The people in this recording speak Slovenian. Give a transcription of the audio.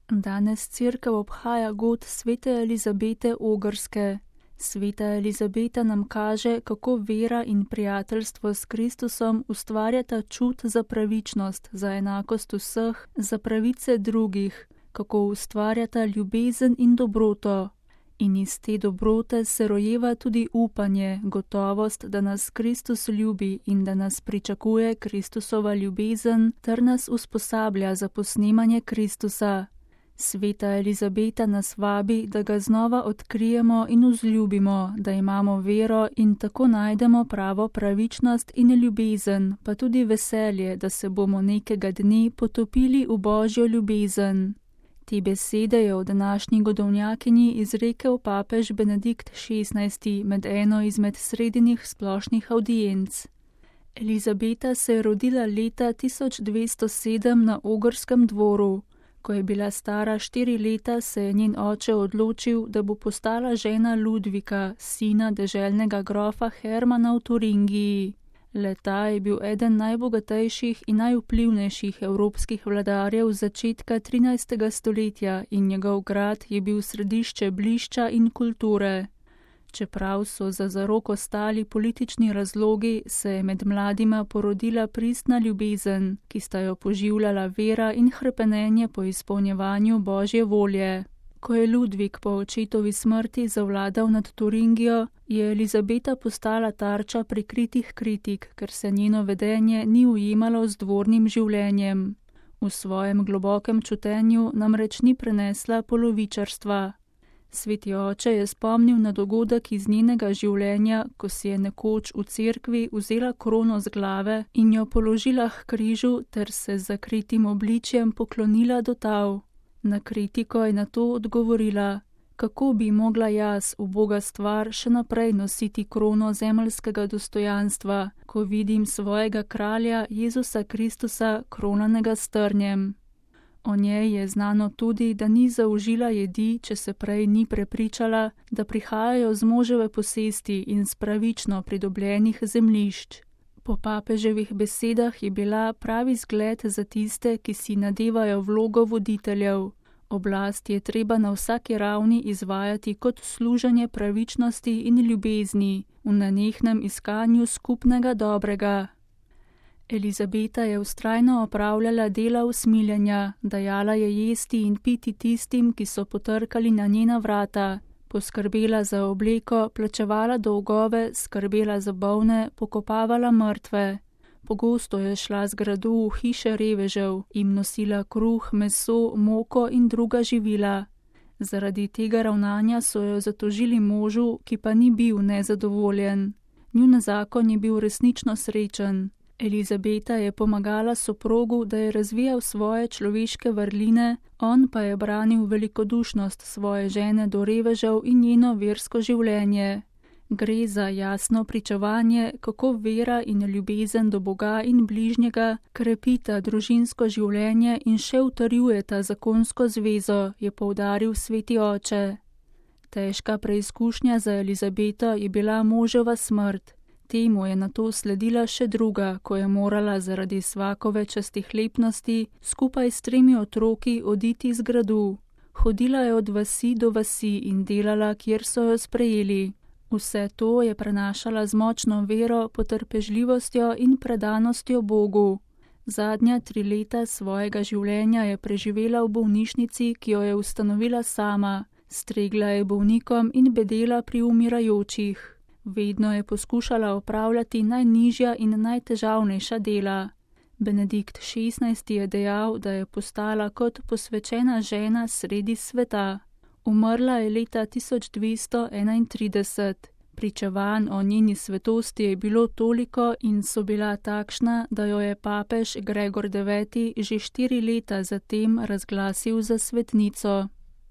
Danes Cerkev obhaja god svete Elizabete Ogrske. Sveta Elizabeta nam kaže, kako vera in prijateljstvo s Kristusom ustvarjata čut za pravičnost, za enakost vseh, za pravice drugih, kako ustvarjata ljubezen in dobroto. In iz te dobrote se rojeva tudi upanje, gotovost, da nas Kristus ljubi in da nas pričakuje Kristusova ljubezen, ter nas usposablja za posnemanje Kristusa. Sveta Elizabeta nas vabi, da ga znova odkrijemo in vzljubimo, da imamo vero in tako najdemo pravo pravičnost in ljubezen, pa tudi veselje, da se bomo nekega dne potopili v Božjo ljubezen. Te besede je v današnji godovnjakinji izrekel papež Benedikt XVI med eno izmed sredinih splošnih avdienc. Elizabeta se je rodila leta 1207 na Ogrskem dvoru. Ko je bila stara 4 leta, se je njen oče odločil, da bo postala žena Ludvika, sina deželnega grofa Hermana v Turingiji. Le-ta je bil eden najbogatejših in najvplivnejših evropskih vladarjev začetka 13. stoletja in njegov grad je bil središče blišča in kulture. Čeprav so za zaroko stali politični razlogi, se je med mladima porodila pristna ljubezen, ki sta jo poživljala vera in hrepenenje po izpolnjevanju Božje volje. Ko je Ludvik po očetovi smrti zavladal nad Turingijo, je Elizabeta postala tarča prikritih kritik, ker se njeno vedenje ni ujemalo z dvornim življenjem. V svojem globokem čutenju namreč ni prenesla polovičarstva. Sveti oče je spomnil na dogodek iz njenega življenja, ko si je nekoč v cerkvi vzela krono z glave in jo položila k križu ter se z zakritim obličjem poklonila do tal. Na kritiko je na to odgovorila: kako bi mogla jaz, uboga stvar, še naprej nositi krono zemeljskega dostojanstva, ko vidim svojega kralja Jezusa Kristusa kronanega s trnjem. O njej je znano tudi, da ni zaužila jedi, če se prej ni prepričala, da prihajajo z moževe posesti in s pravično pridobljenih zemljišč. Po papeževih besedah je bila pravi zgled za tiste, ki si nadevajo vlogo voditeljev. Oblast je treba na vsaki ravni izvajati kot služenje pravičnosti in ljubezni, v nenehnem iskanju skupnega dobrega. Elizabeta je vztrajno opravljala dela usmiljenja, dajala je jesti in piti tistim, ki so potrkali na njena vrata, poskrbela za obleko, plačevala dolgove, skrbela za bolne, pokopavala mrtve. Pogosto je šla z gradu v hiše revežev, jim nosila kruh, meso, moko in druga živila. Zaradi tega ravnanja so jo zatožili možu, ki pa ni bil nezadovoljen. Njun zakon je bil resnično srečen. Elizabeta je pomagala soprogu, da je razvijal svoje človeške vrline, on pa je branil velikodušnost svoje žene do revežev in njeno versko življenje. Gre za jasno pričevanje, kako vera in ljubezen do Boga in bližnjega krepita družinsko življenje in še utrjujeta zakonsko zvezo, je poudaril sveti oče. Težka preizkušnja za Elizabeto je bila moževa smrt. Temu je nato sledila še druga, ko je morala zaradi svakove častihlepnosti skupaj s 3 otroki oditi z gradu. Hodila je od vasi do vasi in delala, kjer so jo sprejeli. Vse to je prenašala z močno vero, potrpežljivostjo in predanostjo Bogu. Zadnja 3 leta svojega življenja je preživela v bolnišnici, ki jo je ustanovila sama. Stregla je bolnikom in bedela pri umirajočih. Vedno je poskušala opravljati najnižja in najtežavnejša dela. Benedikt XVI je dejal, da je postala kot posvečena žena sredi sveta. Umrla je leta 1231. Pričevanj o njeni svetosti je bilo toliko in so bila takšna, da jo je papež Gregor IX že 4 leta zatem razglasil za svetnico.